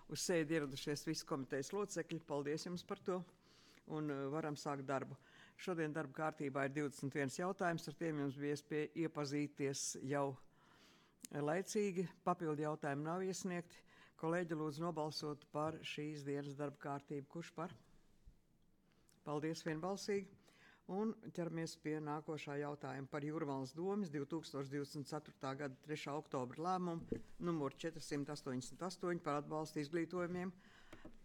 uz sēdi ieradušies visi komitejas locekļi. Paldies jums par to un varam sākt darbu. Šodien darba kārtībā ir 21 jautājums, ar tiem jums bija iespēja iepazīties jau laicīgi. Papildu jautājumi nav iesniegti. Kolēģi, lūdzu nobalsot par šīs dienas darba kārtību. Kurš par? Paldies vienbalsīgi. Un ķeramies pie nākošā jautājuma par Jūrmalas domes 2024. gada 3. oktobra lēmumu numur 488 par atbalstu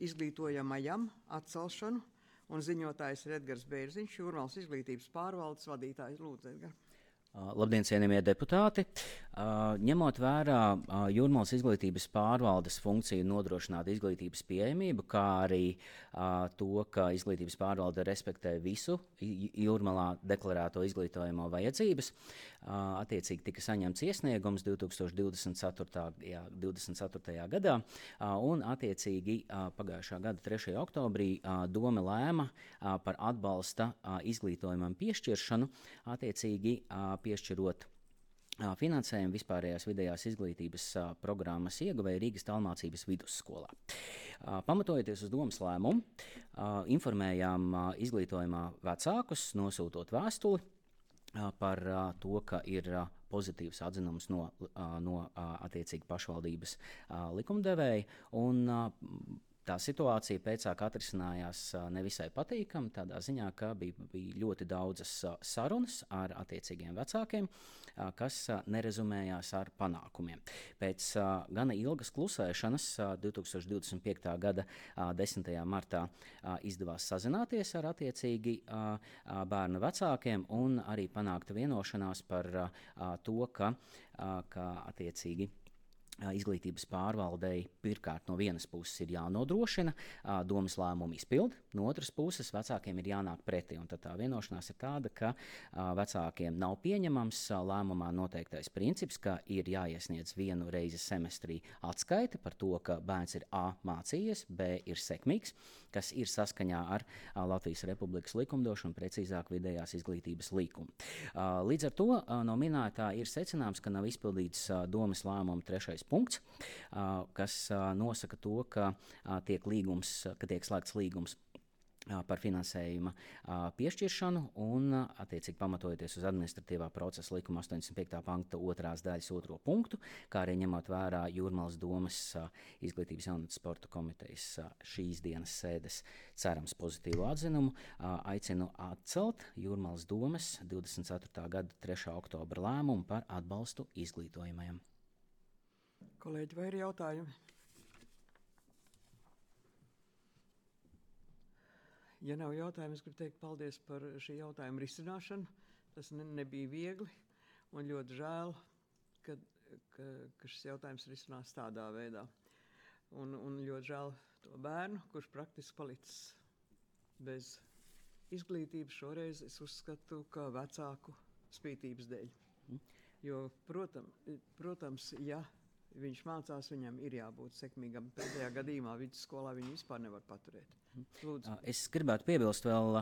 izglītojamajam atcelšanu. Un ziņotājs ir Edgars Bērziņš, Jūrmalas izglītības pārvaldes vadītājs. Lūdzu, Edgar. Labdien, cienījamie deputāti! Ņemot vērā Jūrmalas izglītības pārvaldes funkciju nodrošināt izglītības pieejamību, kā arī to, ka izglītības pārvalde respektē visu Jūrmalā deklarēto izglītojamo vajadzības, attiecīgi tika saņemts iesniegums 2024. gadā, un attiecīgi pagājušā gada 3. oktobrī dome lēma par atbalsta izglītojumam piešķiršanu, attiecīgi piešķirot finansējumu vispārējās vidējās izglītības programmas ieguvēja Rīgas Tālmācības vidusskolā. Pamatojoties uz domes lēmumu, informējām izglītojumā vecākus, nosūtot vēstuli par to, ka ir pozitīvs atzinums no attiecīgi pašvaldības likumdevēja, un tā situācija pēcāk atrisinājās nevisai patīkami, tādā ziņā, ka bija ļoti daudzas sarunas ar attiecīgiem vecākiem, kas nerezumējās ar panākumiem. Pēc gana ilgas klusēšanas 2025. gada 10. martā izdevās sazināties ar attiecīgi bērnu vecākiem un arī panākta vienošanās par to, ka attiecīgi izglītības pārvaldei pirmkārt no vienas puses ir jānodrošina domes lēmumu izpildi, no otras puses vecākiem ir jānāk pretī. Un tad tā vienošanās ir tāda, ka vecākiem nav pieņemams lēmumā noteiktais princips, ka ir jāiesniedz vienu reizi semestrī atskaite par to, ka bērns ir A mācījies, B ir sekmīgs, kas ir saskaņā ar Latvijas Republikas likumdošanu, precīzāk vidējās izglītības likumu. Līdz ar to no minētā ir secināms, ka nav izpildīts domes lēmuma 3. punkts, kas nosaka to, ka tiek slēgts līgums par finansējuma piešķiršanu un, attiecīgi pamatojoties uz administratīvā procesa likuma 85. panta 2. daļas 2. punktu, kā arī ņemot vērā Jūrmalas domes izglītības jaunatnes sporta komitejas šīs dienas sēdes cerams pozitīvu atzinumu, aicinu atcelt Jūrmalas domes 24. gada 3. oktobra lēmumu par atbalstu izglītojamajam. Kolēģi, vai ir jautājumi? Ja nav jautājumu, es gribu teikt paldies par šī jautājuma risināšanu. Tas nebija viegli un ļoti žēl, ka šis jautājums risinās tādā veidā. Un ļoti žēl to bērnu, kurš praktiski palicis bez izglītības. Šoreiz es uzskatu, ka vecāku spītības dēļ. Jo, protams, ja viņš mācās, viņam ir jābūt sekmīgam. Pēdējā gadījumā vidusskolā viņu vispār nevar paturēt. Lūdzu. Es gribētu piebilst vēl,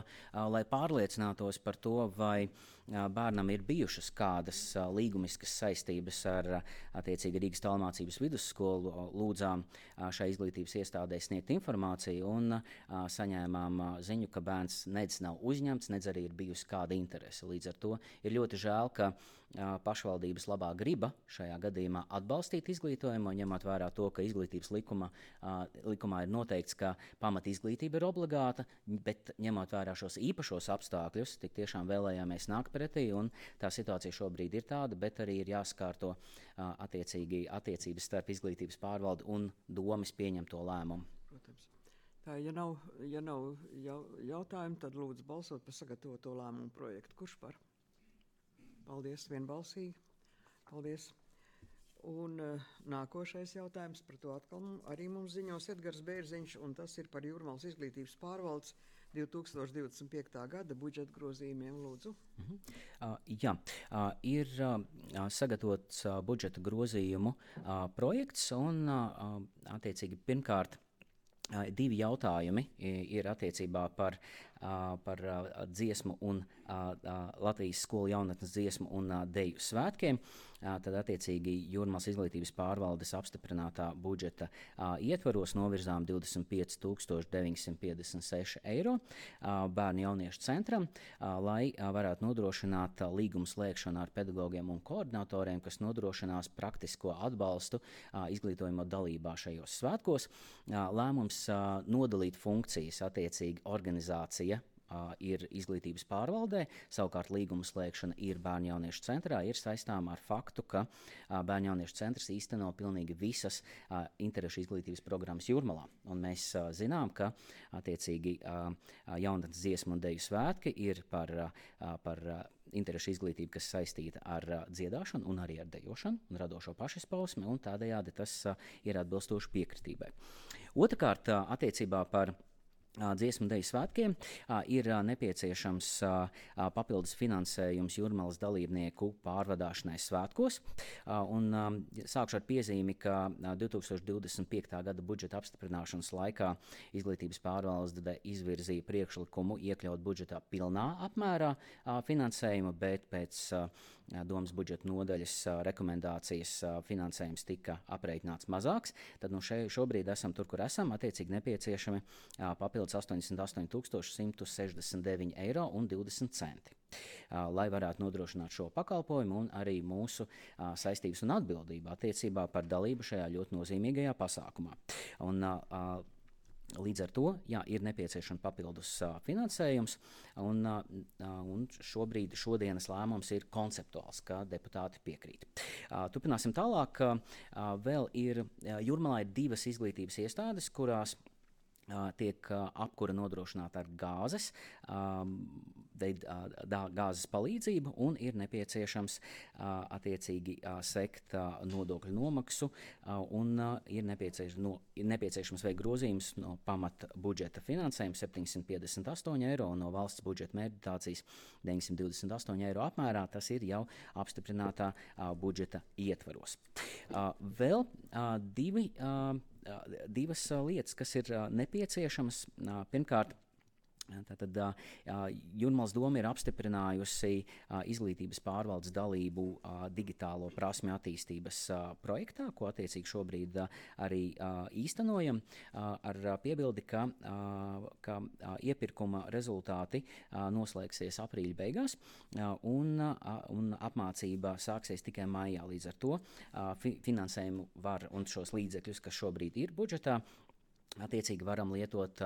lai pārliecinātos par to, vai bērnam ir bijušas kādas līgumiskas saistības ar attiecīgi Rīgas Tālmācības vidusskolu. Lūdzām šai izglītības iestādē sniegt informāciju un saņēmām ziņu, ka bērns nedz nav uzņemts, nedz arī ir bijusi kāda interese. Līdz ar to ir ļoti žēl, ka pašvaldības labā griba šajā gadījumā atbalstīt izglītojumu, ņemot vērā to, ka izglītības likumā ir noteikts, ka pamat izglītība ir obligāta, bet ņemot vērā šos īpašos apstākļus, tik tiešām vēlējāmies nākt pretī, un tā situācija šobrīd ir tāda, bet arī ir jāskārto attiecīgi attiecības starp izglītības pārvaldi un domes pieņemto lēmumu. Protams. Tā, ja nav jautājumu, tad lūdzu balsot par sagatavoto lēmumu projektu. Kurš par? Paldies, vienbalsīgi. Paldies. Un nākošais jautājums, par to atkal arī mums ziņos Edgars Bērziņš, un tas ir par Jūrmalas izglītības pārvaldes 2025. gada budžeta grozījumiem. Lūdzu. Ir sagatavots budžeta grozījumu projekts, un attiecīgi pirmkārt divi jautājumi ir attiecībā par par dziesmu un Latvijas skolu jaunatnes dziesmu un deju svētkiem. Tad attiecīgi Jūrmalas izglītības pārvaldes apstiprinātā budžeta ietvaros novirzām 25 956 eiro bērnu jauniešu centram, lai varētu nodrošināt līgumu slēgšanu ar pedagogiem un koordinatoriem, kas nodrošinās praktisko atbalstu izglītojuma dalībā šajos svētkos. Lēmums nodalīt funkcijas attiecīgi organizācija ir izglītības pārvaldē, savukārt līguma slēgšana ir bērnu jauniešu centrā, ir saistām ar faktu, ka bērnu jauniešu centrs īsteno pilnīgi visas interešu izglītības programmas Jūrmalā. Un mēs zinām, ka attiecīgi jaunatnes dziesmu un deju svētki ir par interešu izglītību, kas saistīta ar dziedāšanu un arī ar dejošanu un radošo pašizpausmi, un tādējādi tas ir atbilstoši piekritībai. Otrakārt, attiecībā par dziesmu deju svētkiem ir nepieciešams papildus finansējums Jūrmalas dalībnieku pārvadāšanai svētkos. Un sākšu ar piezīmi, ka 2025. gada budžeta apstiprināšanas laikā izglītības pārvalde izvirzīja priekšlikumu iekļaut budžetā pilnā apmērā finansējumu, bet pēc domas budžeta nodaļas rekomendācijas finansējums tika aprēķināts mazāks. Tad šobrīd esam tur, kur esam, attiecīgi nepieciešami papildus 88 169 eiro un 20 centi. Lai varētu nodrošināt šo pakalpojumu un arī mūsu saistības un atbildību attiecībā par dalību šajā ļoti nozīmīgajā pasākumā. Un, līdz ar to ir nepieciešams papildus finansējums, un šodienas lēmums ir konceptuāls, ka deputāti piekrīt. Turpināsim tālāk. Vēl ir Jūrmalā ir 2 izglītības iestādes, kurās tiek apkura nodrošināta ar gāzes palīdzību, un ir nepieciešams attiecīgi sekt nodokļu nomaksu, un ir nepieciešams veikt grozījums no pamata budžeta finansējuma 758 eiro un no valsts budžeta mērķdotācijas 928 eiro apmērā. Tas ir jau apstiprinātā budžeta ietvaros. Vēl divas lietas, kas ir nepieciešamas. Pirmkārt, tātad Jūrmalas doma ir apstiprinājusi izglītības pārvaldes dalību digitālo prasmju attīstības projektā, ko attiecīgi šobrīd arī īstenojam, ar piebildi, ka iepirkuma rezultāti noslēgsies aprīļa beigās, un apmācība sāksies tikai maijā. Līdz ar to finansējumu var un šos līdzekļus, kas šobrīd ir budžetā, attiecīgi varam lietot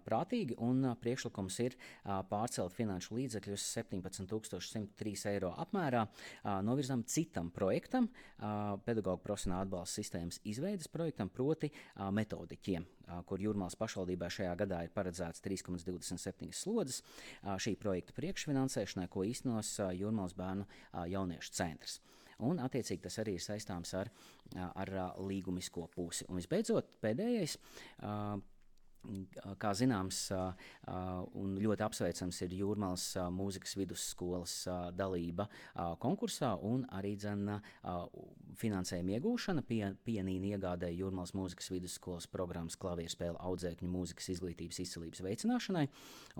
prātīgi, un priekšlikums ir pārcelt finanšu līdzekļus 17 103 eiro apmērā, novirzam citam projektam, pedagoģu profesionāla atbalsta sistēmas izveides projektam, proti metodiķiem, kur Jūrmalas pašvaldībā šajā gadā ir paredzēts 3,27 slodzes šī projekta priekšfinansēšanai, ko īstenos Jūrmalas bērnu jauniešu centrs. Un, attiecīgi, tas arī ir saistāms ar līgumisko pusi. Un, visbeidzot, pēdējais, kā zināms, un ļoti apsveicams ir Jūrmalas mūzikas vidusskolas dalība konkursā un arī finansējuma iegūšana pianīna iegādēja Jūrmalas mūzikas vidusskolas programmas klavierspēle audzēkņu mūzikas izglītības izcilības veicināšanai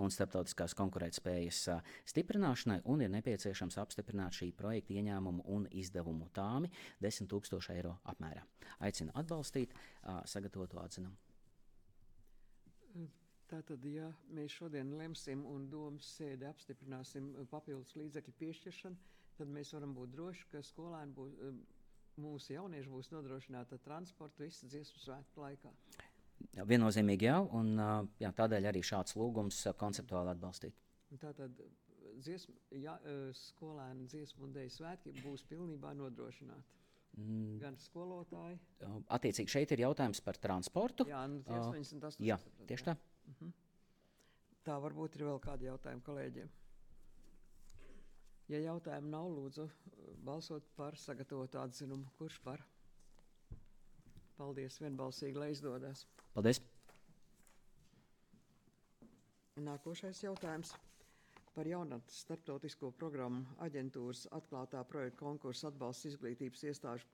un starptautiskās konkurētspējas stiprināšanai, un ir nepieciešams apstiprināt šī projekta ieņēmumu un izdevumu tāmi 10 000 eiro apmērā. Aicinu atbalstīt sagatavotu atzinumu. Tātad, ja mēs šodien lemsim un domas sēdi apstiprināsim papildus līdzekļu piešķiršanu, tad mēs varam būt droši, ka skolēni būs, mūsu jaunieši būs nodrošināti ar transportu visu dziesmu svētku laikā. Viennozīmīgi jau, un tādēļ arī šāds lūgums konceptuāli atbalstīt. Tātad skolēni dziesmu un deju svētki būs pilnībā nodrošināti. Gan skolotāji. Attiecīgi šeit ir jautājums par transportu. Jā, 88. Jā, tieši tā. Tā varbūt ir vēl kādi jautājumi kolēģiem. Ja jautājumu nav, lūdzu balsot par sagatavotu atzinumu. Kurš par? Paldies, vienbalsīgi, lai izdodas. Paldies. Nākošais jautājums par jaunatnes starptautisko programmu aģentūras atklātā projekta konkursa atbalsts izglītības iestāžu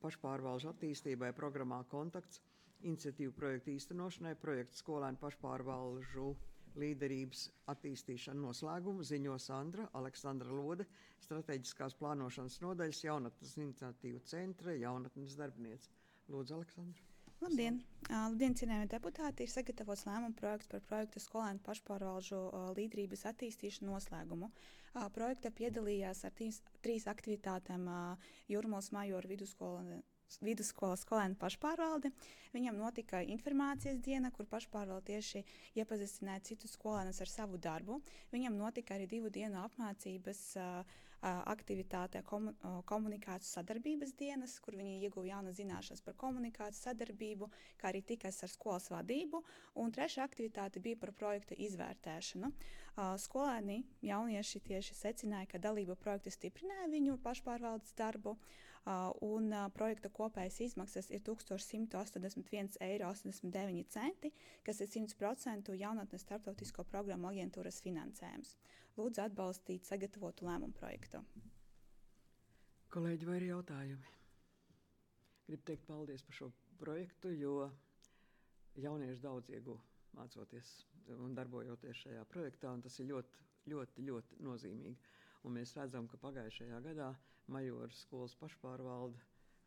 pašpārvalžu attīstībai programmā Kontakts iniciatīvu projektu īstenošanai, projektu skolēnu pašpārvalžu līderības attīstīšanu noslēgumu ziņo Aleksandra Lode, strateģiskās plānošanas nodaļas jaunatnes iniciatīvu centra jaunatnes darbiniece. Lūdzu, Aleksandra. Labdien! Labdien, cienējamie deputāti! Ir sagatavots lēmuma projekts par projekta skolēnu pašpārvalžu līderības attīstīšanu noslēgumu. Projekta piedalījās ar trīs aktivitātēm Jūrmalas Majoru vidusskolas skolēnu pašpārvalde. Viņam notika informācijas diena, kur pašpārvalde tieši iepazīstināja citus skolēnus ar savu darbu. Viņam notika arī 2 dienu apmācības aktivitātē komunikācijas sadarbības dienas, kur viņi ieguva jaunas zināšanas par komunikācijas sadarbību, kā arī tikās ar skolas vadību. Un 3. aktivitāte bija par projekta izvērtēšanu. Skolēni, jaunieši tieši secināja, ka dalība projekta stiprināja viņu pašpārvaldes darbu, un projekta kopējas izmaksas ir 1181,89 eiro, kas ir 100% jaunatnes starptautisko programmu aģentūras finansējums. Lūdzu atbalstīt sagatavotu lēmumu projektu. Kolēģi, vai ir jautājumi? Gribu teikt paldies par šo projektu, jo jaunieši daudz ieguva mācoties un darbojoties šajā projektā, un tas ir ļoti nozīmīgi. Un mēs redzam, ka pagājušajā gadā Majoru skolas pašpārvalde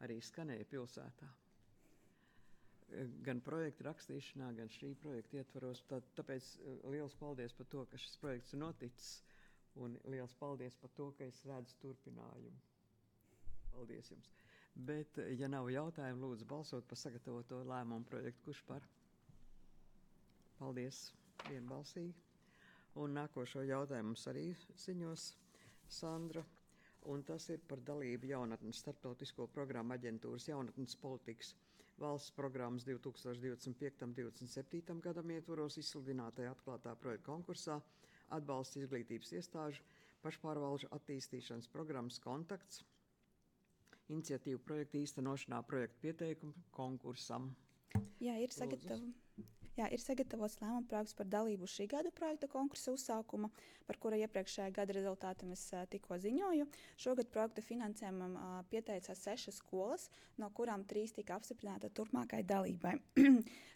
arī skanēja pilsētā. Gan projekta rakstīšanā, gan šī projekta ietvaros. Tāpēc liels paldies par to, ka šis projekts ir noticis, un liels paldies par to, ka es redzu turpinājumu. Paldies jums. Bet, ja nav jautājumu, lūdzu balsot par sagatavoto lēmumu projektu. Kurš par? Paldies, vienbalsīgi. Un nākošo jautājumu mums arī ziņos Sandra, un tas ir par dalību jaunatnes starptautisko programmu aģentūras jaunatnes politikas valsts programmas 2025-2027 gadam ietvaros izsludinātajā atklātā projekta konkursā atbalsta izglītības iestāžu pašpārvalžu attīstīšanas programmas kontakts iniciatīvu projektu īstenošanā projektu pieteikumu konkursam. Jā, ir sagatavots lēmuma projekts par dalību šī gada projekta konkursa uzsākuma, par kura iepriekšējā gada rezultātiem es tikko ziņoju. Šogad projekta finansējumam pieteicās 6 skolas, no kurām 3 tika apstiprināta turpmākai dalībai.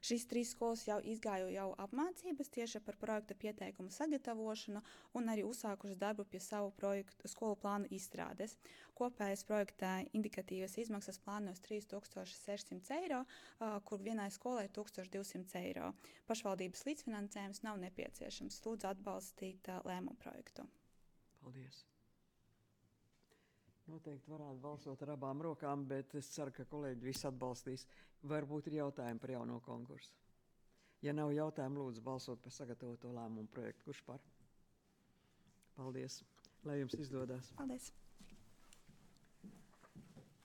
Šīs 3 skolas jau izgāja apmācības tieši par projekta pieteikumu sagatavošanu un arī uzsākušas darbu pie savu projektu skolu plānu izstrādes. Kopējais projektā indikatīvas izmaksas plānos 3600 eiro, kur vienai skolai 1200 eiro. Pašvaldības līdzfinansējums nav nepieciešams. Lūdzu atbalstīt lēmumu projektu. Paldies. Noteikti varētu balsot ar abām rokām, bet es ceru, ka kolēģi visi atbalstīs. Varbūt ir jautājumi par jauno konkursu. Ja nav jautājumu, lūdzu balsot par sagatavoto lēmumu projektu. Kurš par? Paldies. Lai jums izdodas. Paldies.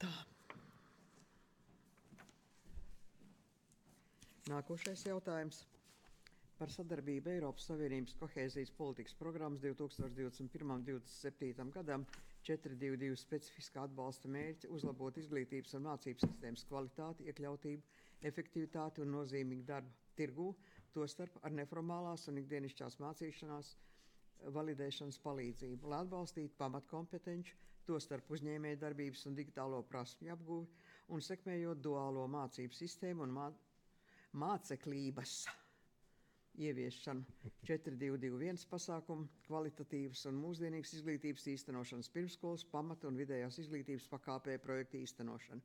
Tā. Nākošais jautājums par sadarbību Eiropas Savienības kohēzijas politikas programmas 2021-2027 gadam 422 specifiskā atbalsta mērķi uzlabot izglītības un mācības sistēmas kvalitāti, iekļautību, efektivitāti un nozīmīgu darbu tirgū, tostarp ar neformālās un ikdienišķās mācīšanās validēšanas palīdzību, lai atbalstītu pamatkompetenci, tostarp uzņēmējdarbības un digitālo prasmju apguvi un sekmējot duālo mācību sistēmu un māceklības ieviešanu 4221 pasākumu, kvalitatīvas un mūsdienīgas izglītības īstenošanas pirmskolas, pamata un vidējās izglītības pakāpē projekta īstenošana.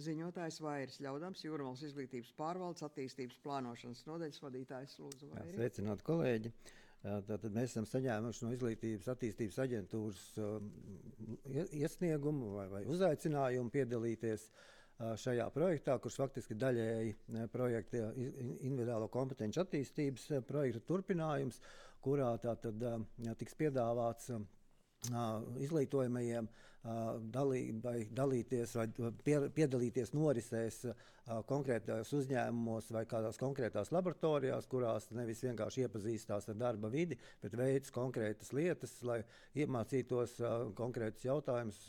Ziņotājs Vairis Ļaudams, Jūrmalas izglītības pārvaldes attīstības plānošanas nodaļas vadītājs. Lūdzu, Vairi. Sveicināti, kolēģi. Tātad mēs esam saņēmuši no izglītības attīstības aģentūras iesniegumu vai uzaicinājumu piedalīties šajā projektā, kurš faktiski daļēji projekta individuālo kompetenci attīstības projekta turpinājums, kurā tātad tiks piedāvāts izglītojamajiem dalīties vai piedalīties norisēs konkrētās uzņēmumos vai kādās konkrētās laboratorijās, kurās nevis vienkārši iepazīstās ar darba vidi, bet veids konkrētas lietas, lai iemācītos konkrētus jautājumus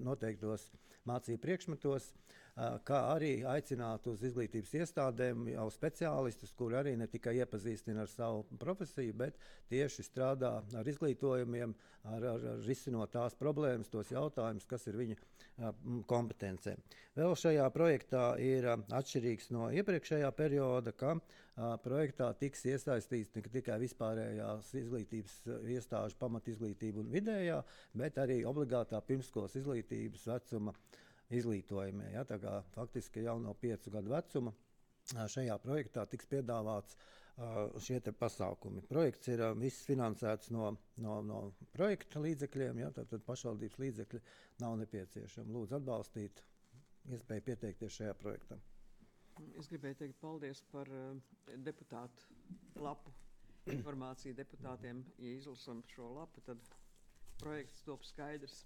noteiktos mācību priekšmetos. kā arī aicināt uz izglītības iestādēm jau speciālistus, kuri arī ne tikai iepazīstina ar savu profesiju, bet tieši strādā ar izglītojumiem, ar risinot tās problēmas, tos jautājumus, kas ir viņa kompetencē. Vēl šajā projektā ir atšķirīgs no iepriekšējā perioda, ka projektā tiks iesaistīts ne tikai vispārējās izglītības iestāžu pamatizglītība un vidējā, bet arī obligātā pirmskolas izglītības vecuma izglītojumie. Ja, tā kā faktiski jau no 5 gadu vecuma šajā projektā tiks piedāvāts šie te pasākumi. Projekts ir viss finansēts no projekta līdzekļiem, ja, tad pašvaldības līdzekļi nav nepieciešami. Lūdzu atbalstīt iespēju pieteikties šajā projektā. Es gribēju teikt paldies par deputātu lapu. Informāciju deputātiem, ja izlasam šo lapu, tad projekts top skaidrs,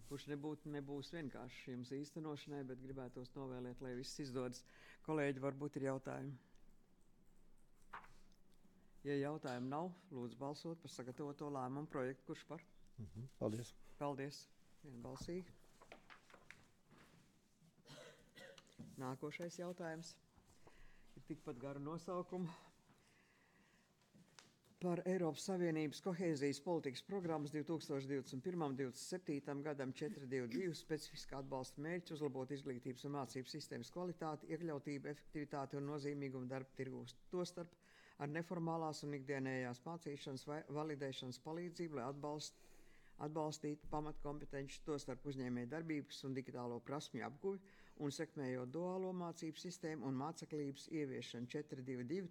kurš nebūs vienkārši jums īstenošanai, bet gribētos novēlēt, lai viss izdodas. Kolēģi, varbūt ir jautājumi. Ja jautājumu nav, lūdzu balsot par sagatavoto lēmumu projektu. Kurš par? Paldies. Paldies. Vienbalsīgi. Nākošais jautājums ir tikpat garu nosaukumu. Par Eiropas Savienības kohēzijas politikas programmas 2021–2027 gadam 422 specifiskā atbalsta mērķi uzlabot izglītības un mācību sistēmas kvalitāti, iekļautību, efektivitāti un nozīmīgumu darba tirgūs. Tostarp ar neformālās un ikdienējās mācīšanas vai validēšanas palīdzību, lai atbalstītu pamatkompetenci, tostarp uzņēmēju darbības un digitālo prasmju apguvi un sekmējot duālo mācību sistēmu un māceklības ieviešanu 422.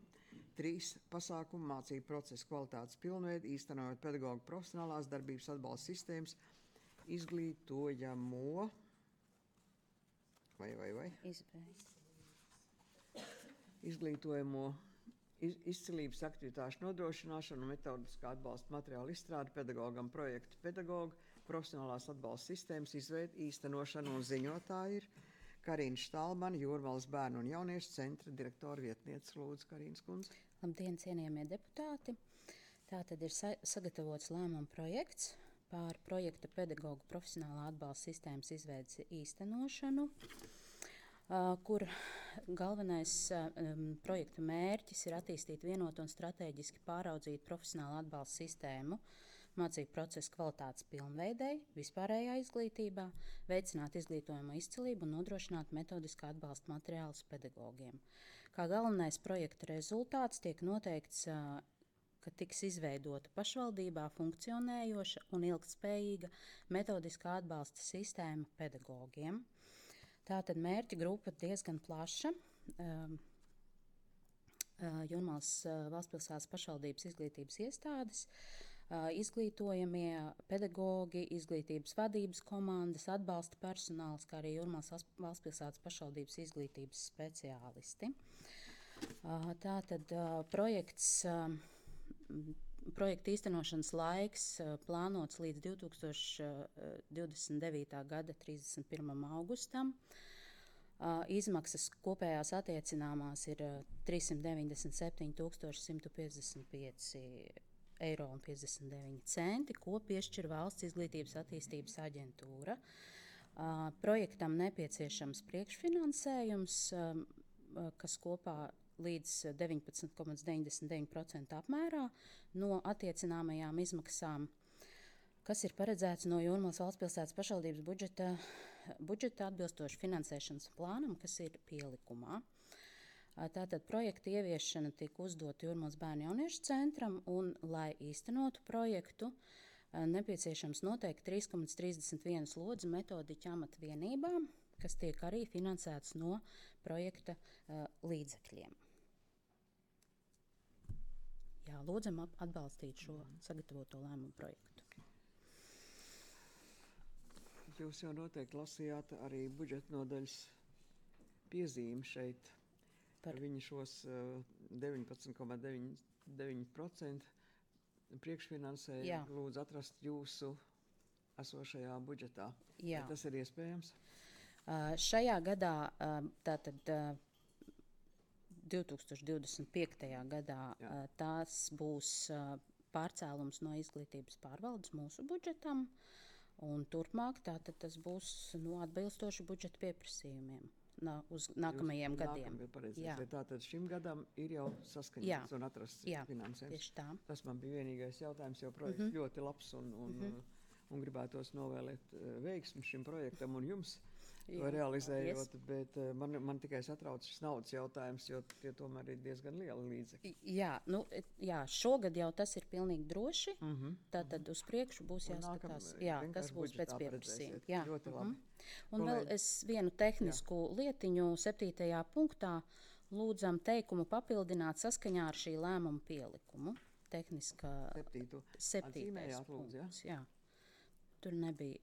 3 pasākumu mācību procesa kvalitātes pilnveidi, īstenojot pedagoģu profesionālās darbības atbalsta sistēmas izglītojamo izglītojamo izcilības aktivitāšu nodrošināšanu un metodiskā atbalsta materiālu izstrādi pedagogam projektu pedagogu, profesionālās atbalsta sistēmas izveidi, īstenošanu un ziņotāji ir Karina Štalmana, Jūrmalas bērnu un jauniešu centra direktora vietniece. Lūdzu, Karīnas kundze. Labdien, cienījamie deputāti! Tātad ir sagatavots lēmuma projekts par projekta pedagogu profesionālā atbalsta sistēmas izveides īstenošanu, kur galvenais projekta mērķis ir attīstīt vienotu un strateģiski pāraudzīt profesionālu atbalsta sistēmu mācību procesa kvalitātes pilnveidei, vispārējā izglītībā, veicināt izglītojumu izcilību un nodrošināt metodiskā atbalsta materiālus pedagogiem. Kā galvenais projekta rezultāts tiek noteikts, ka tiks izveidota pašvaldībā funkcionējoša un ilgtspējīga metodiskā atbalsta sistēma pedagogiem. Tātad mērķa grupa diezgan plaša. Jūrmalas valstspilsētas pašvaldības izglītības iestādes, izglītojamie pedagogi, izglītības vadības komandas, atbalsta personāls, kā arī Jūrmalas valstspilsētas pašvaldības izglītības speciālisti. Tātad projekta īstenošanas laiks plānots līdz 2029. gada 31. augustam. Izmaksas kopējās attiecināmās ir 397 155,59 eiro, ko piešķir Valsts izglītības attīstības aģentūra. Projektam nepieciešams priekšfinansējums, kas kopā līdz 19,99% apmērā no attiecināmajām izmaksām, kas ir paredzēts no Jūrmalas valstspilsētas pašvaldības budžeta atbilstoši finansēšanas plānam, kas ir pielikumā. Tātad projekta ieviešana tika uzdota Jūrmalas bērnu jauniešu centram, un, lai īstenotu projektu, nepieciešams noteikti 3,31 lodzi metodiķu amatvienībām, kas tiek arī finansēts no projekta līdzekļiem. Jā, lūdzam atbalstīt šo sagatavoto lēmumu projektu. Jūs jau noteikti lasījāt arī budžeta nodaļas piezīmi šeit. Par viņu šos 19,9% priekšfinansēju lūdzu atrast jūsu esošajā budžetā. Jā. Vai tas ir iespējams? Šajā gadā, tātad 2025. gadā, tās būs pārcēlums no izglītības pārvaldes mūsu budžetam, un turpmāk tātad tas būs atbilstoši budžeta pieprasījumiem. uz nākamajiem gadiem. Jā. Tātad šim gadam ir jau saskaņots un atrasts finansējums. Tieši tā. Tas man bija vienīgais jautājums, jo projekts ļoti labs un gribētos novēlēt veiksmi šim projektam un jums. Realizējot, bet man tikai satrauc šis naudas jautājums, jo tie tomēr ir diezgan lieli līdzekļi. Jā, šogad jau tas ir pilnīgi droši, tātad uz priekšu būs jāskatās. Jā, tas būs pēc pieprasījuma. Jā. Ļoti labi. Un vēl es vienu tehnisku lietiņu 7. punktā lūdzam teikumu papildināt saskaņā ar šī lēmuma pielikumu. Tehniskā 7. punkts, jā. Tur nebija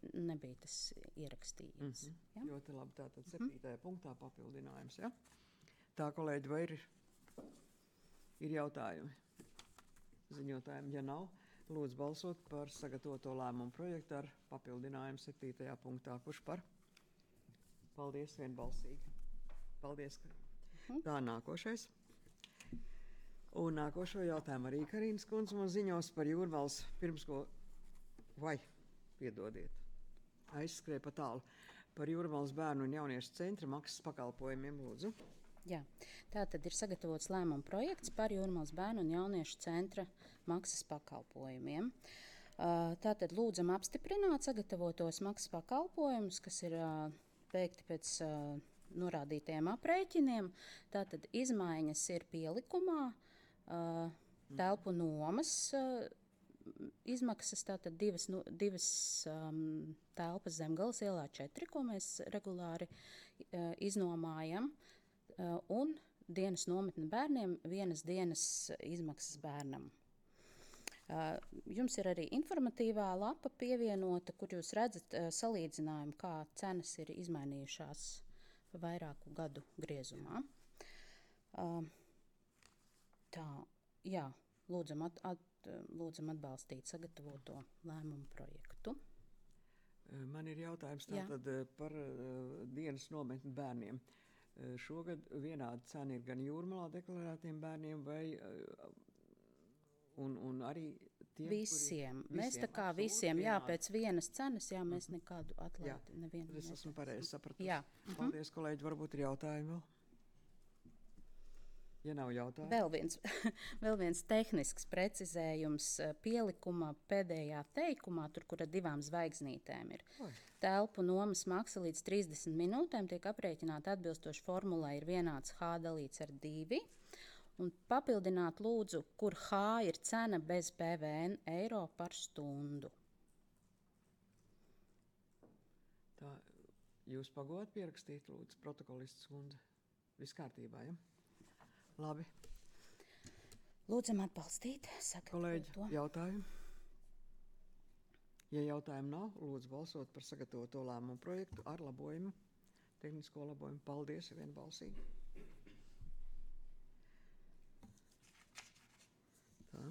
tas ierakstījies. Ja? Ļoti labi, tātad 7. punktā papildinājums. Ja? Tā, kolēģi, vai ir jautājumi ziņotājiem? Ja nav, lūdzu balsot par sagatavoto lēmumu projektu ar papildinājumu 7. punktā. Kurš par? Paldies, vienbalsīgi. Paldies. Tā, nākošais. Un nākošo jautājumu arī Karīnas kundze mums ziņos par Jūrmalas pirmsko piedodiet, aizskrēja pa tālu par Jūrmalas bērnu un jauniešu centra maksas pakalpojumiem, lūdzu. Jā, tā tad ir sagatavots lēmuma projekts par Jūrmalas bērnu un jauniešu centra maksas pakalpojumiem. Tā tad lūdzam apstiprināt sagatavotos maksas pakalpojumus, kas ir veikti pēc norādītajiem aprēķiniem. Tā tad izmaiņas ir pielikumā, telpu nomas izmaksas, tātad divas telpas Zemgales ielā 4, ko mēs regulāri iznomājam, un dienas nometne bērniem, 1 dienas izmaksas bērnam. Jums ir arī informatīvā lapa pievienota, kur jūs redzat salīdzinājumu, kā cenas ir izmainījušās vairāku gadu griezumā. Lūdzam atbalstīt sagatavoto lēmumu projektu. Man ir jautājums tātad par dienas nometni bērniem. Šogad vienāda cena ir gan Jūrmalā deklarētiem bērniem un arī tiem, visiem. Mēs tā kā visiem, pēc vienas cenas, mēs nekādu atlaidi nevienu. Es esmu pareizi sapratusi. Paldies, kolēģi, varbūt ir jautājumi vēl? Ja nav jautājumu. Vēl viens tehnisks precizējums pielikuma pēdējā teikumā, tur, kur ar 2 zvaigznītēm ir. Telpu nomas maksa līdz 30 minūtēm tiek aprēķināta atbilstoši formulai ir vienāds H dalīts ar 2. Un papildināt lūdzu, kur H ir cena bez PVN eiro par stundu. Tā, jūs pagodat pierakstīt, lūdzu, protokolists kundze? Viss kārtībā, ja? Labi. Lūdzam atbalstīt. Kolēģi, jautājumi? Ja jautājumu nav, lūdzu balsot par sagatavoto lēmumu projektu ar labojumu, tehnisko labojumu. Paldies, vienbalsīgi. Tā.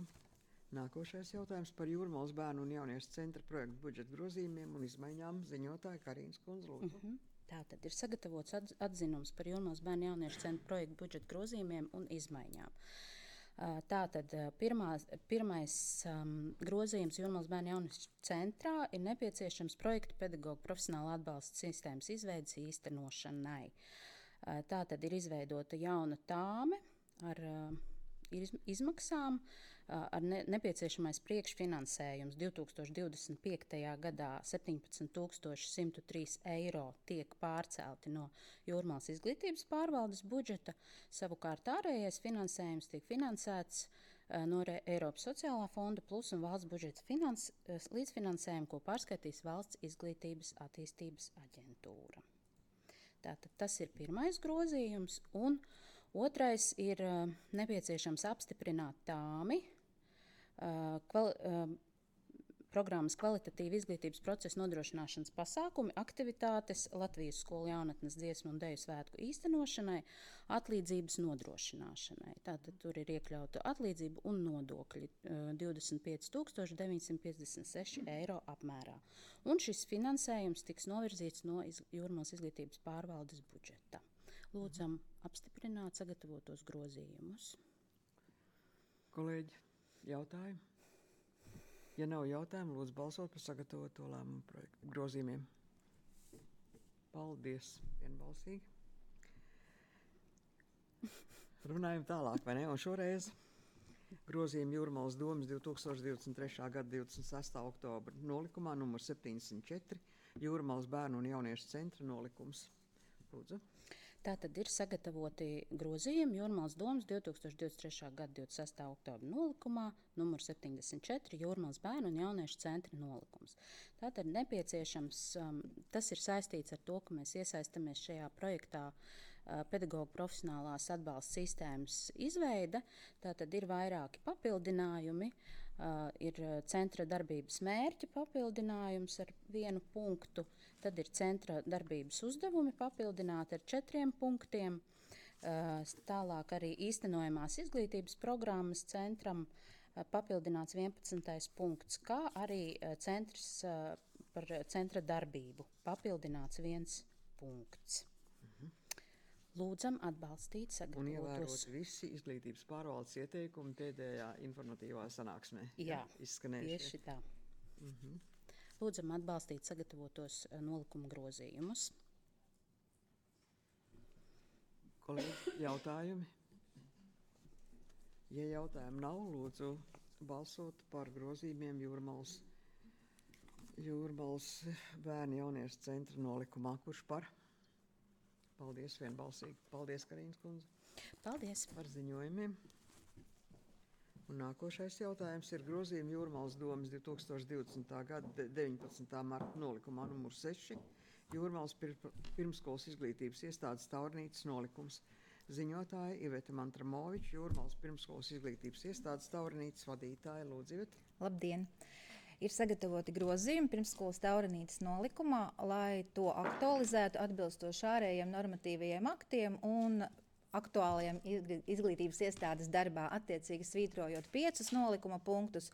Nākošais jautājums par Jūrmalas bērnu un jauniešu centra projektu budžeta grozījumiem un izmaiņām ziņotāja Karīnas kundze, lūdzu. Tātad ir sagatavots atzinums par Jūrmalas bērnu jauniešu centra projektu budžeta grozījumiem un izmaiņām. Tātad pirmais grozījums Jūrmalas bērnu jauniešu centrā ir nepieciešams projektu pedagoģu profesionāla atbalsta sistēmas izveides īstenošanai. Tātad ir izveidota jauna tāme ar izmaksām, ar nepieciešamais priekšfinansējums 2025. gadā 17,103 eiro tiek pārcelti no Jūrmalas izglītības pārvaldes budžeta. Savukārt ārējais finansējums tiek finansēts no Eiropas sociālā fonda plus un valsts budžeta līdzfinansējumu, ko pārskaitīs Valsts izglītības attīstības aģentūra. Tātad tas ir pirmais grozījums, un otrais ir nepieciešams apstiprināt tāmi programmas kvalitatīva izglītības procesa nodrošināšanas pasākumi, aktivitātes Latvijas skolu jaunatnes dziesmu un deju svētku īstenošanai, atlīdzības nodrošināšanai. Tātad tur ir iekļauta atlīdzība un nodokļi 25,956 eiro apmērā. Un šis finansējums tiks novirzīts no Jūrmalas izglītības pārvaldes budžeta. Lūdzam apstiprināt sagatavotos grozījumus. Kolēģi, jautājumi? Ja nav jautājumu, lūdzu balsot par sagatavoto lēmumu projektu grozījumiem. Paldies, vienbalsīgi. Runājam tālāk, vai ne? Un šoreiz grozījuma Jūrmalas domas 2023. gada 26. oktobra nolikumā numur 74 Jūrmalas bērnu un jauniešu centra nolikums. Lūdzu. Tātad ir sagatavoti grozījumi Jūrmalas domas 2023. gada 26. oktobra nolikumā, numur 74, Jūrmalas bērnu un jauniešu centra nolikums. Tātad nepieciešams, tas ir saistīts ar to, ka mēs iesaistamies šajā projektā pedagoģu profesionālās atbalsta sistēmas izveide. Tātad ir vairāki papildinājumi, ir centra darbības mērķa papildinājums ar 1 punktu, tad ir centra darbības uzdevumi papildināti ar 4 punktiem, tālāk arī īstenojamās izglītības programmas centram papildināts 11. punkts, kā arī centrs par centra darbību papildināts 1 punkts. Lūdzam atbalstīt Un ievērot sagatavotos. visi izglītības pārvaldes ieteikumi pēdējā informatīvā sanāksmē. Jā, izskanējušie. tieši tā. Lūdzam atbalstīt sagatavotos nolikuma grozījumus. Kolēģi, jautājumi? Ja jautājumu nav, lūdzu balsot par grozījumiem Jūrmalas bērnu jauniešu centra nolikumā. Kurš par? Paldies vienbalsīgi. Paldies, Karīnas kundze, Paldies! par ziņojumiem. Un nākošais jautājums ir grozījuma Jūrmalas domas 2020. gada 19. marta nolikumā numur 6 Jūrmalas pirmskolas izglītības iestādes Taurnītes nolikums. Ziņotāja Iveta Mantramoviča, Jūrmalas pirmskolas izglītības iestādes Taurnītes vadītāja. Lūdzu, Iveta. Labdien! Ir sagatavoti grozījumi pirmsskolas Taurnītes nolikumā, lai to aktualizētu atbilstoši ārējiem normatīvajiem aktiem un aktuālajiem izglītības iestādes darbā, attiecīgi svītrojot 5 nolikuma punktus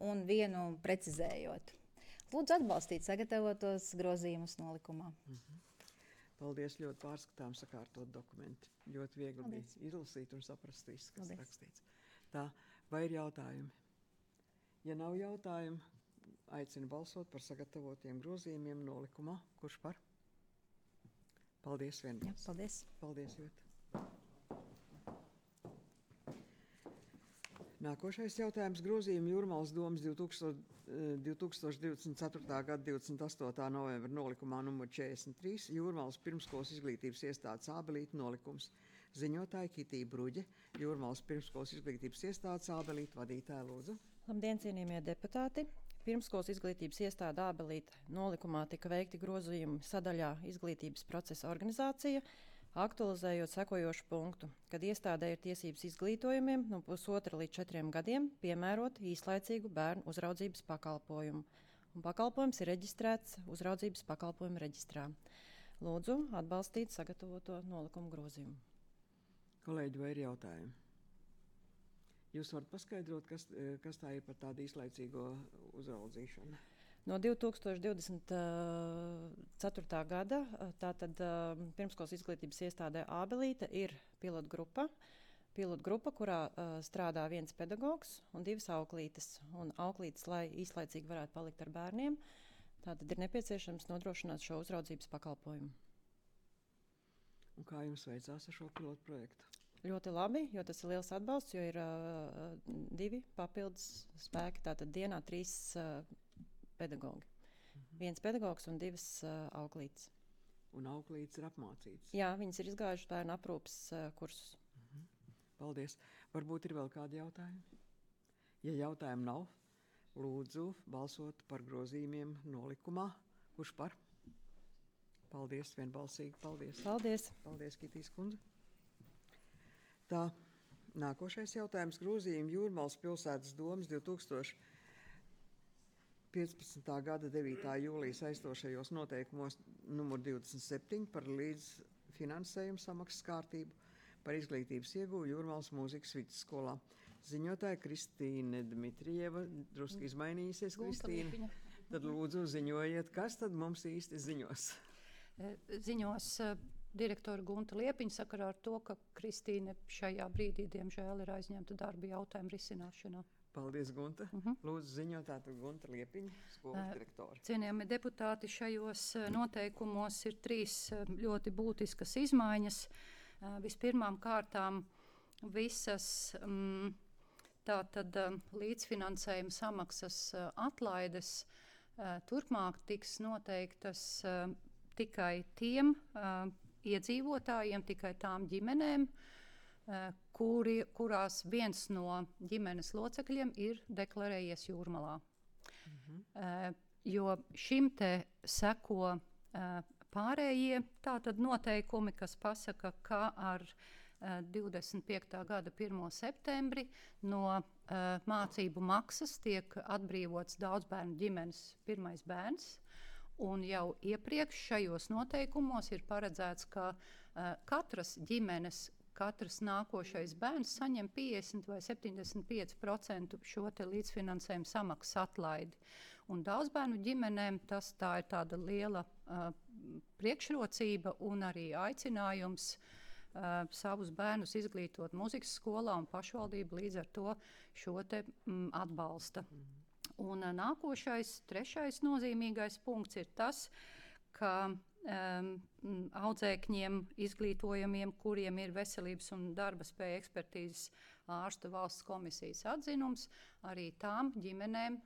un 1 precizējot. Lūdzu atbalstīt sagatavotos grozījumus nolikumā. Paldies, ļoti pārskatām sakārtot dokumenti. Ļoti viegli bija izlasīt un saprast visu, kas rakstīts. Tā, vai ir jautājumi? Ja nav jautājumu, aicinu balsot par sagatavotiem grozījumiem nolikumā. Kurš par? Paldies vienbalsīgi. Paldies! Paldies, Iveta. Nākošais jautājums grozījuma Jūrmalas domas 2024. gada 28. novembra nolikumā numur 43 Jūrmalas pirmskolas izglītības iestādes Ābelīte nolikums. Ziņotāja Kitija Bruģe, Jūrmalas pirmskolas izglītības iestādes Ābelīte vadītāja. Lūdzu. Labdien, cienījamie deputāti! Pirmskolas izglītības iestāde Ābelīte nolikumā tika veikti grozījumi sadaļā izglītības procesa organizācija, aktualizējot sekojošu punktu, kad iestādē ir tiesības izglītojumiem no 1,5 līdz 4 gadiem piemērot īslaicīgu bērnu uzraudzības pakalpojumu. Un pakalpojums ir reģistrēts uzraudzības pakalpojumu reģistrā. Lūdzu atbalstīt sagatavoto nolikumu grozījumu. Kolēģi, vai ir jautājumi? Jūs varat paskaidrot, kas tā ir par tādu īslaicīgo uzraudzīšanu? No 2024. gada tātad pirmskolas izglītības iestādē Ābelīte ir pilotgrupa, kurā strādā 1 pedagogs un 2 auklītes. Un auklītes, lai īslaicīgi varētu palikt ar bērniem, tātad ir nepieciešams nodrošināt šo uzraudzības pakalpojumu. Un kā jums veicās ar šo pilotu projektu? Ļoti labi, jo tas ir liels atbalsts, jo ir 2 papildus spēki, tātad dienā 3 pedagogi. 1 pedagogs un 2 auklītes. Un auklītes ir apmācītas? Jā, viņas ir izgājušas bērnu aprūpes kursus. Paldies. Varbūt ir vēl kādi jautājumi? Ja jautājumu nav, lūdzu balsot par grozījumiem nolikumā. Kurš par? Paldies, vienbalsīgi. Paldies. Paldies. Paldies, Kitijas kundze. Tā, nākošais jautājums grozījumi Jūrmalas pilsētas domas 2015. gada 9. jūlijas aizstošajos noteikumos numur 27 par līdzfinansējumu samaksas kārtību par izglītības ieguvu Jūrmalas mūzikas vidusskolā. Ziņotāja Kristīne Dmitrieva, drusku izmainījusies Kristīne. Tad lūdzu ziņojiet, kas tad mums īsti ziņos? Ziņos direktora Gunta Liepiņa sakarā ar to, ka Kristīne šajā brīdī, diemžēl, ir aizņemta darba jautājumu risināšanā. Paldies, Gunta. Lūdzu ziņot tātad Gunta Liepiņa, skolas direktori. Cienījami deputāti, šajos noteikumos ir 3 ļoti būtiskas izmaiņas. Vispirmām kārtām visas tātad līdzfinansējuma samaksas atlaides turpmāk tiks noteiktas tikai tiem iedzīvotājiem, tikai tām ģimenēm, kurās viens no ģimenes locekļiem ir deklarējies Jūrmalā. Jo šim te seko pārējie tātad noteikumi, kas pasaka, ka ar 25. gada 1. septembri no mācību maksas tiek atbrīvots daudzbērnu ģimenes pirmais bērns. Un jau iepriekš šajos noteikumos ir paredzēts, ka katras ģimenes, katrs nākošais bērns saņem 50 vai 75% šo te līdzfinansējumu samaksas atlaidi. Un daudzbērnu ģimenēm tā ir tāda liela priekšrocība un arī aicinājums savus bērnus izglītot muzikas skolā, un pašvaldība līdz ar to šo te atbalsta. Un nākošais, trešais nozīmīgais punkts ir tas, ka audzēkņiem, izglītojamiem, kuriem ir veselības un darba spēja ekspertīzes ārstu valsts komisijas atzinums, arī tām ģimenēm,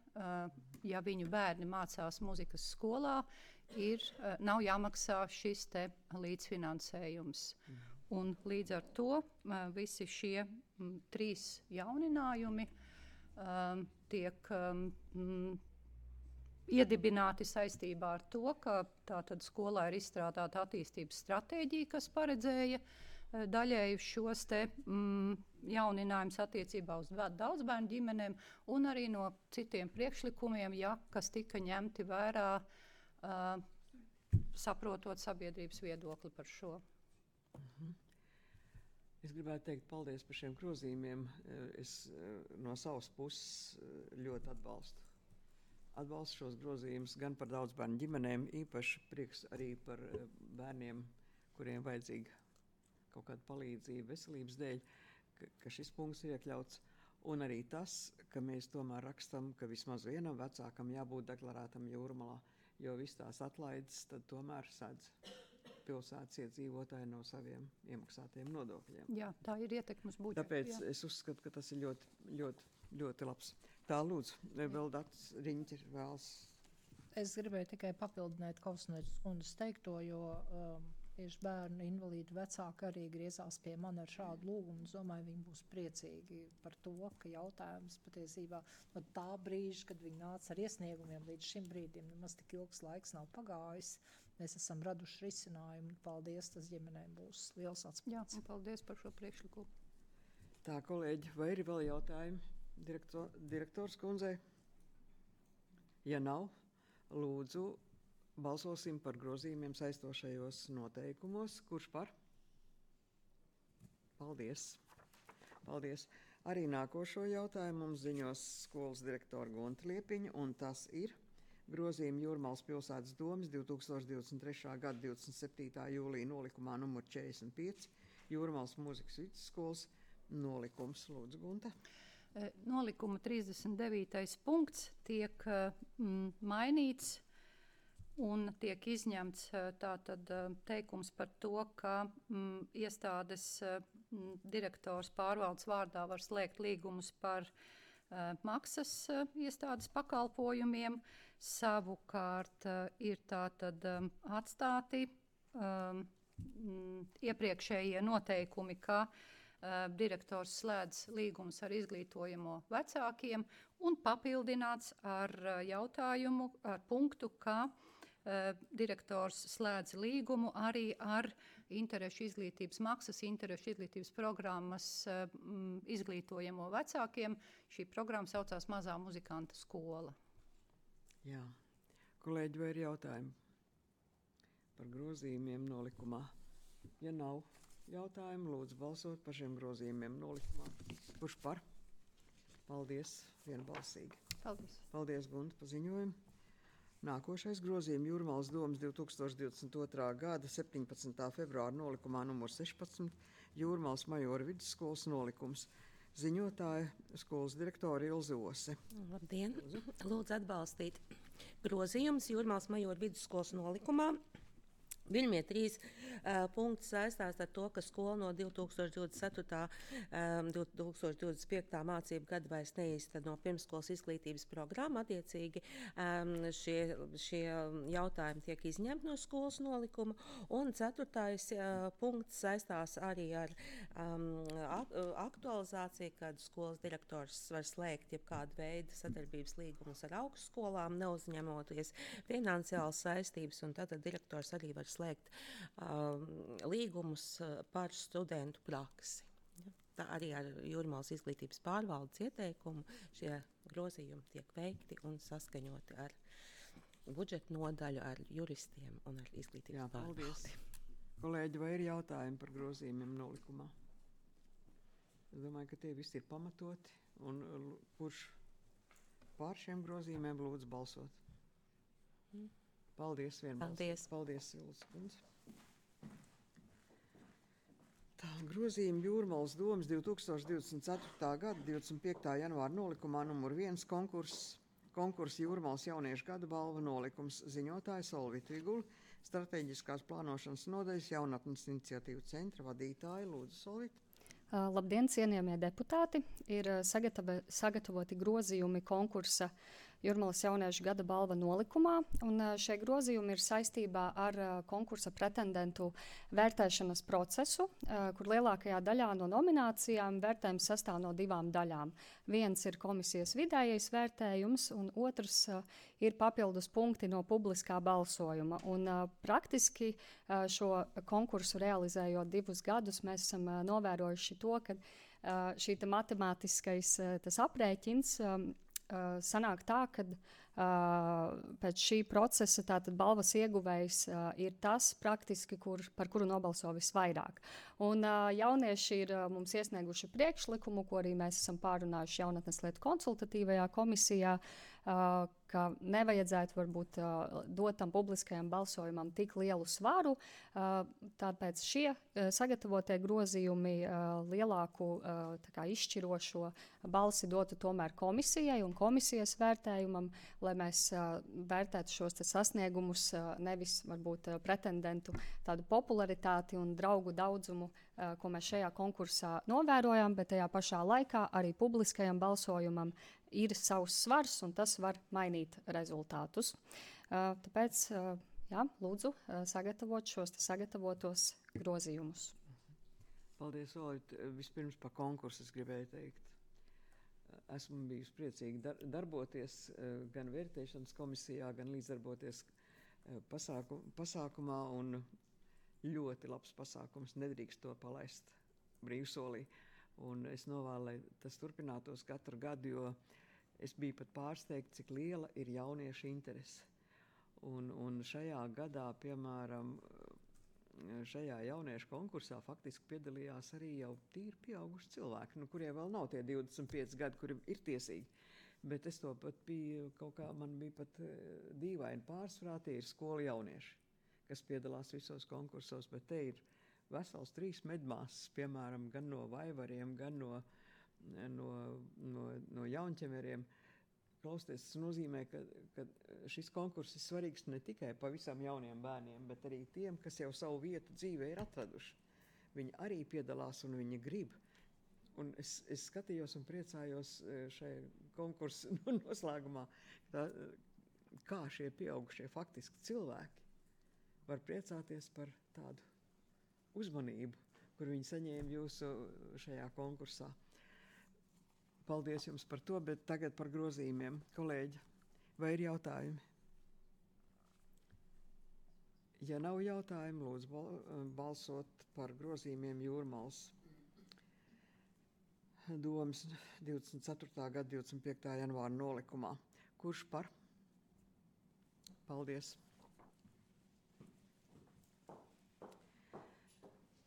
ja viņu bērni mācās muzikas skolā, nav jāmaksā šis te līdzfinansējums. Un līdz ar to visi šie 3 jauninājumi tiek iedibināti saistībā ar to, ka tātad skolā ir izstrādāta attīstības stratēģija, kas paredzēja daļēji šos te jauninājumus attiecībā uz daudzbērnu ģimenēm, un arī no citiem priekšlikumiem, kas tika ņemti vērā, saprotot sabiedrības viedokli par šo. Es gribētu teikt paldies par šiem grozījumiem. Es no savas puses ļoti atbalstu šos grozījumus gan par daudzbērnu ģimenēm, īpaši prieks arī par bērniem, kuriem vajadzīga kaut kāda palīdzība veselības dēļ, ka šis punkts ir iekļauts. Un arī tas, ka mēs tomēr rakstam, ka vismaz vienam vecākam jābūt deklarētam Jūrmalā, jo viss tās atlaides tad tomēr sedz pilsētas iedzīvotāji no saviem iemaksātajiem nodokļiem. Jā, tā ir ietekme uz budžetu. Tāpēc es uzskatu, ka tas ir ļoti, ļoti, ļoti labs. Tā, lūdzu, vēl Dats Riņķis vēlas. Es gribēju tikai papildināt Kausneres kundzes teikto, jo tieši bērnu invalīdu vecāki arī griezās pie mani ar šādu lūgumu. Es domāju, viņi būs priecīgi par to, ka jautājums patiesībā no tā brīža, kad viņi nāca ar iesniegumiem līdz šim brīdim, nemaz tik ilgs laiks nav pagājis. Mēs esam raduši risinājumu. Paldies, tas ģimenēm būs liels atspēks. Jā, un paldies par šo priekšlikumu. Tā, kolēģi, vai ir vēl jautājumi direktors kundzei? Ja nav, lūdzu, balsosim par grozījumiem saistošajos noteikumos. Kurš par? Paldies. Paldies. Arī nākošo jautājumu mums ziņos skolas direktora Gunta Liepiņa, un tas ir grozījumi Jūrmalas pilsētas domes 2023. gada 27. jūlija nolikumā numur 45, Jūrmalas mūzikas vidusskolas nolikums. Lūdzu, Gunta. Nolikuma 39. punkts tiek mainīts un tiek izņemts tātad teikums par to, ka iestādes direktors pārvaldes vārdā var slēgt līgumus par maksas iestādes pakalpojumiem. Savukārt ir tātad atstāti iepriekšējie noteikumi, ka direktors slēdz līgumus ar izglītojamo vecākiem un papildināts ar jautājumu, ar punktu, ka direktors slēdz līgumu arī ar interešu izglītības maksas, interešu izglītības programmas izglītojamo vecākiem. Šī programma saucās Mazā muzikanta skola. Jā. Kolēģi, vai ir jautājumi par grozījumiem nolikumā? Ja nav jautājumu, lūdzu balsot par šiem grozījumiem nolikumā. Kurš par? Paldies, vienbalsīgi. Paldies. Paldies, Gunta, par ziņojumu. Nākošais grozījums Jūrmalas domes 2022. gada 17. februāra nolikumā numur 16, Jūrmalas Majora vidusskolas nolikums. Ziņotāja skolas direktora Ilze Ose. Labdien! Lūdzu atbalstīt grozījumus Jūrmalas Majora vidusskolas nolikumā Pirmie 3 punkti saistās ar to, ka skola no 2024. 2025. mācību gada vairs neīsteno pirmsskolas izglītības programmu. Attiecīgi šie jautājumi tiek izņemti no skolas nolikuma. Un 4. punkts saistās arī ar aktualizāciju, kad skolas direktors var slēgt jebkādu veidu sadarbības līgumus ar augstskolām, neuzņemoties finansiālas saistības, un tad direktors arī var slēgt līgumus par studentu praksi. Ja? Tā arī ar Jūrmalas izglītības pārvaldes ieteikumu šie grozījumi tiek veikti un saskaņoti ar budžeta nodaļu, ar juristiem un ar izglītības pārvaldi. Kolēģi, vai ir jautājumi par grozījumiem nolikumā? Es domāju, ka tie visi ir pamatoti, un kurš pār šiem grozījumiem lūdzu balsot? Paldies, vienbalsīgi. Paldies, Vilus kundze. Tā, grozījumi Jūrmalas domas 2024. gada 25. janvāra nolikumā numur 1 konkurss Jūrmalas jauniešu gada balva nolikums, ziņotāja Solvita Vigula, strateģiskās plānošanas nodaļas jaunatnes iniciatīvu centra vadītāja. Lūdzu, Solvita. Labdien, cienījamie deputāti! Ir sagatavoti grozījumi konkursa Jūrmalas jauniešu gada balva nolikumā, un šie grozījumi ir saistībā ar konkursa pretendentu vērtēšanas procesu, kur lielākajā daļā no nominācijām vērtējums sastāv no 2 daļām. Viens ir komisijas vidējais vērtējums, un otrs ir papildus punkti no publiskā balsojuma. Un praktiski šo konkursu realizējot 2 gadus, mēs esam novērojuši to, ka šī matemātiskais tas aprēķins sanāk tā, ka pēc šī procesa tātad balvas ieguvējs ir tas praktiski, par kuru nobalso visvairāk. Un jaunieši ir mums iesnieguši priekšlikumu, ko arī mēs esam pārunājuši jaunatnes lietu konsultatīvajā komisijā, ka nevajadzētu varbūt dot tam publiskajam balsojumam tik lielu svaru, tāpēc šie sagatavotie grozījumi lielāku izšķirošo balsi dotu tomēr komisijai un komisijas vērtējumam, lai mēs vērtētu šos sasniegumus, nevis varbūt pretendentu tādu popularitāti un draugu daudzumu, ko mēs šajā konkursā novērojam, bet tajā pašā laikā arī publiskajam balsojumam ir savs svars, un tas var mainīt rezultātus. Tāpēc, lūdzu, sagatavot šos sagatavotos grozījumus. Paldies, Olit. Vispirms par konkursu es gribēju teikt. Esmu bijusi priecīgi darboties gan vērtēšanas komisijā, gan līdzdarboties pasākumā, un ļoti labs pasākums, nedrīkst to palaist brīvsolī. Un es novēlu, lai tas turpinātos katru gadu, jo es biju pat pārsteigta, cik liela ir jauniešu interese. Un šajā gadā, piemēram, šajā jauniešu konkursā faktiski piedalījās arī jau tīri pieauguši cilvēki, kuriem vēl nav tie 25 gadi, kuri ir tiesīgi. Bet es to pat biju, man bija pat dīvaini pārsvarā, tie ir skolu jaunieši, kas piedalās visos konkursos, bet te ir vesels 3 medmāsas, piemēram, gan no Vaivariem, gan no Jaunķemeriem. Klausieties, tas nozīmē, ka šis konkurss ir svarīgs ne tikai pavisam jauniem bērniem, bet arī tiem, kas jau savu vietu dzīvē ir atraduši. Viņi arī piedalās un viņi grib. Un es skatījos un priecājos šai konkursu noslēgumā, kā šie pieaugušie faktiski cilvēki var priecāties par tādu uzmanību, kur viņi saņēma jūsu šajā konkursā. Paldies jums par to, bet tagad par grozījumiem. Kolēģi, vai ir jautājumi? Ja nav jautājumu, lūdzu balsot par grozījumiem Jūrmalas domas 24. gada 25. janvāra nolikumā. Kurš par? Paldies.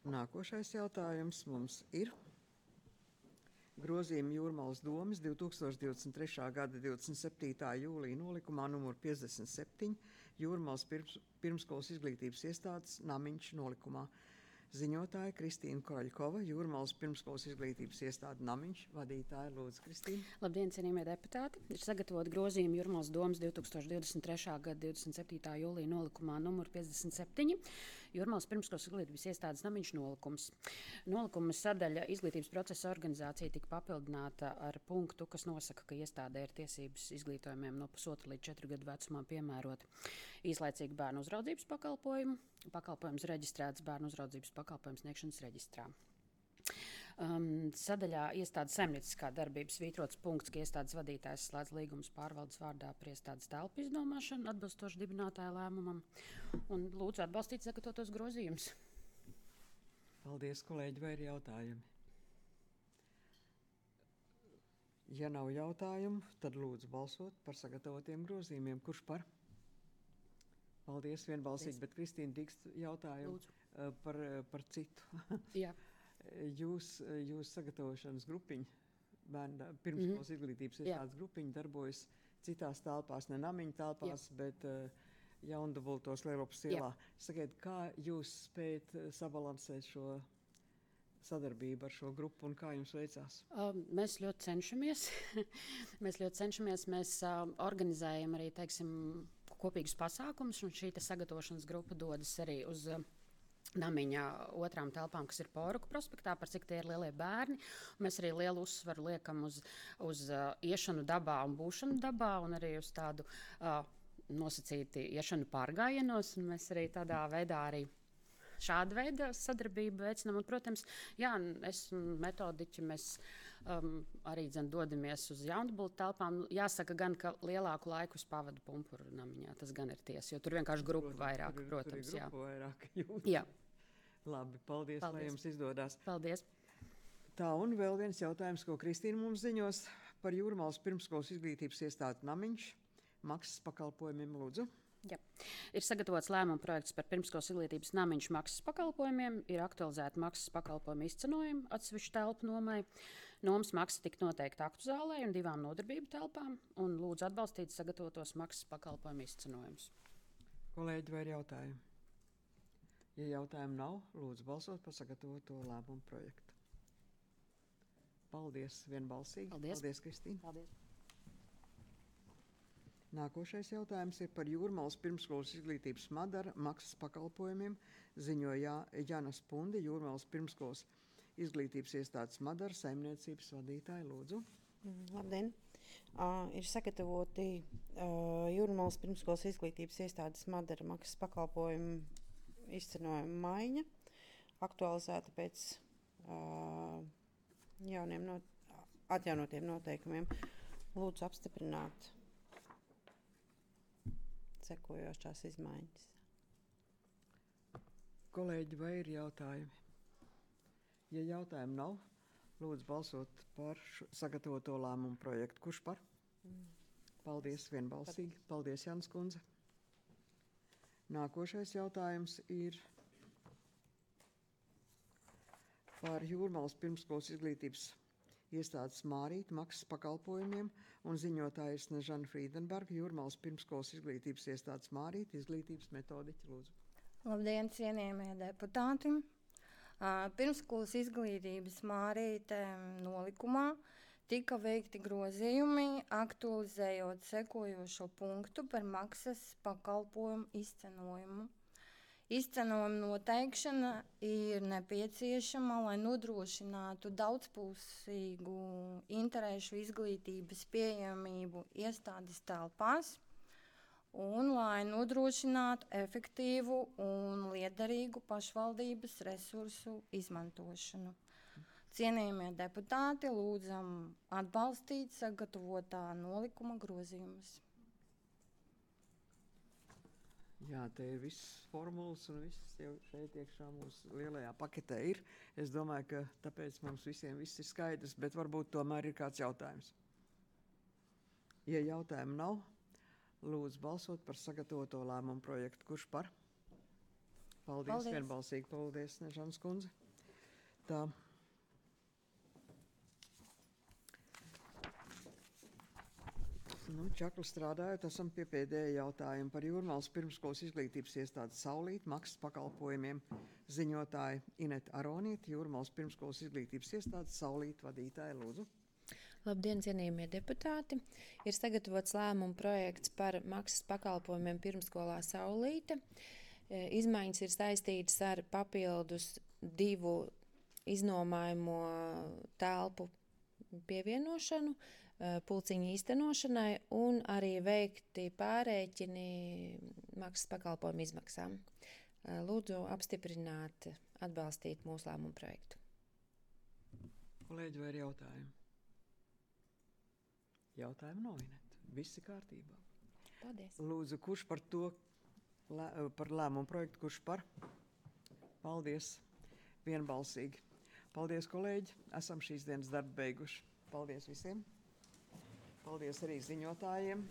Nākošais jautājums mums ir grozījumi Jūrmalas domas 2023. gada 27. jūlija nolikumā numur 57 Jūrmalas pirmskolas izglītības iestādes Namiņš nolikumā. Ziņotāja Kristīna Koļkova, Jūrmalas pirmskolas izglītības iestāde Namiņš, vadītāja Lūdzu Kristīna. Labdien, cienījamie deputāti! Ir sagatavot grozījumi Jūrmalas domas 2023. gada 27. jūlija nolikumā numur 57. Jūrmalas pirmskolas izglītības iestādes Namiņš nolikums. Nolikuma sadaļa izglītības procesa organizācija tika papildināta ar punktu, kas nosaka, ka iestādē ir tiesības izglītojumiem no 1,5 līdz 4 gadu vecumā piemērot īslaicīgu bērnu uzraudzības pakalpojumu, pakalpojums reģistrēts bērnu uzraudzības pakalpojumu sniegšanas reģistrā. Sadaļā iestādes saimnieciskā darbības svītrots punkts, ka iestādes vadītājs slēdz līgumus pārvaldes vārdā par iestādes telpu izdomāšanu atbilstoši dibinātāja lēmumam. Un lūdzu atbalstīt sagatavotos grozījumus. Paldies, kolēģi, vai ir jautājumi? Ja nav jautājumu, tad lūdzu balsot par sagatavotiem grozījumiem. Kurš par? Paldies, vienbalsīgi, bet Kristīna Dikst jautājumu par citu. Jā. Jūs sagatavošanas grupiņa, bērnu pirmskolas izglītības iestādes grupiņa darbojas citās telpās, ne Namiņa telpās, bet Jaundubultos Lielopas ielā. Sakiet, kā jūs spējat sabalansēt šo sadarbību ar šo grupu un kā jums veicās? Mēs ļoti cenšamies. Mēs organizējam arī, teiksim, kopīgus pasākumus, un šī sagatavošanas grupa dodas arī uz Namiņa otrām telpām, kas ir Poruku prospektā, par cik tie ir lielie bērni. Mēs arī lielu uzsvaru liekam uz iešanu dabā un būšanu dabā, un arī uz tādu nosacīti iešanu pārgājienos, un mēs arī tādā veidā arī šāda veida sadarbību veicinām. Un, protams, es un metodiķi, mēs arī dodamies uz Jaundubultu telpām. Jāsaka gan, ka lielāku laiku es pavadu Pumpuru Namiņā. Tas gan ir tiesa, jo tur vienkārši grupa vairāk, protams. Tur ir grupa vairāk jūt. Jā. Labi, paldies, lai jums izdodas. Paldies. Tā, un vēl viens jautājums, ko Kristīna mums ziņos par Jūrmalas pirmskolas izglītības iestādi Namiņš. Maksas pakalpojumiem, lūdzu. Jā. Ir sagatavots lēmuma projekts par pirmskolas izglītības Namiņš maksas pakalpojumiem, ir aktualizēta maksas pakalpojumu izcenojuma atsevišķu telpu nomai. Nomas maksa tika noteikta aktu zālē un 2 nodarbību telpām, un lūdzu atbalstīt sagatavotos maksas pakalpojumu izcenojumus. Kolēģi, vai ir jautājumi? Ja jautājumu nav, lūdzu balsot par sagatavoto lēmumu projektu. Paldies, vienbalsīgi. Paldies, Kristīna. Paldies. Nākošais jautājums ir par Jūrmalas pirmskolas izglītības Madara maksas pakalpojumiem. Ziņoja Jānas Pundi, Jūrmalas pirmskolas izglītības iestādes Madara saimniecības vadītāja. Lūdzu. Labdien! Ir sagatavoti Jūrmalas pirmskolas izglītības iestādes Madara maksas pakalpojumu izcenojuma maiņa, aktualizēta pēc atjaunotiem noteikumiem. Lūdzu apstiprināt sekojošās izmaiņas. Kolēģi, vai ir jautājumi? Ja jautājumu nav, lūdzu balsot par sagatavoto lēmumu projektu. Kurš par? Paldies, vienbalsīgi. Paldies, Jānis kundze. Nākošais jautājums ir par Jūrmalas pirmskolas izglītības iestādes Mārīta maksas pakalpojumiem, un ziņotāja ir Snežana Frīdenberga, Jūrmalas pirmskolas izglītības iestādes Mārīta, izglītības metodiķi, lūdzu. Labdien, cienījamie deputāti! Pirmskolas izglītības Mārīta nolikumā tika veikti grozījumi, aktualizējot sekojošo punktu par maksas pakalpojumu izcenojumu. Izcenojuma noteikšana ir nepieciešama, lai nodrošinātu daudzpusīgu interešu izglītības pieejamību iestādes telpās un lai nodrošinātu efektīvu un liederīgu pašvaldības resursu izmantošanu. Cienījamie deputāti, lūdzam atbalstīt sagatavotā nolikuma grozījumus. Jā, te ir viss formulas un viss jau šeit iekšā mūsu lielajā paketē ir. Es domāju, ka tāpēc mums visiem viss ir skaidrs, bet varbūt tomēr ir kāds jautājums. Ja jautājumu nav, lūdzu balsot par sagatavoto lēmumu projektu. Kurš par? Paldies. Vienbalsīgi. Paldies, Snežanas kundze. Tā. Čakli strādājot, esam pie pēdējā jautājuma par Jūrmalas pirmskolas izglītības iestādes Saulīt maksas pakalpojumiem. Ziņotāja Ineta Aronīte, Jūrmalas pirmskolas izglītības iestādes Saulīta vadītāja, lūdzu. Labdien, cienījamie deputāti! Ir sagatavots lēmuma projekts par maksas pakalpojumiem pirmskolā Saulīte. Izmaiņas ir saistītas ar papildus 2 iznomājumo telpu pievienošanu, pulciņu īstenošanai un arī veikti pārēķini maksas pakalpojumu izmaksām. Lūdzu apstiprināt, atbalstīt mūsu lēmumu projektu. Kolēģi, vai ir jautājumi? Jautājumu nav, Ineta. Viss ir kārtībā. Paldies. Lūdzu, kurš par to, par lēmumu projektu, kurš par? Paldies. Vienbalsīgi. Paldies, kolēģi. Esam šīs dienas darbu beiguši. Paldies visiem. Paldies arī ziņotājiem.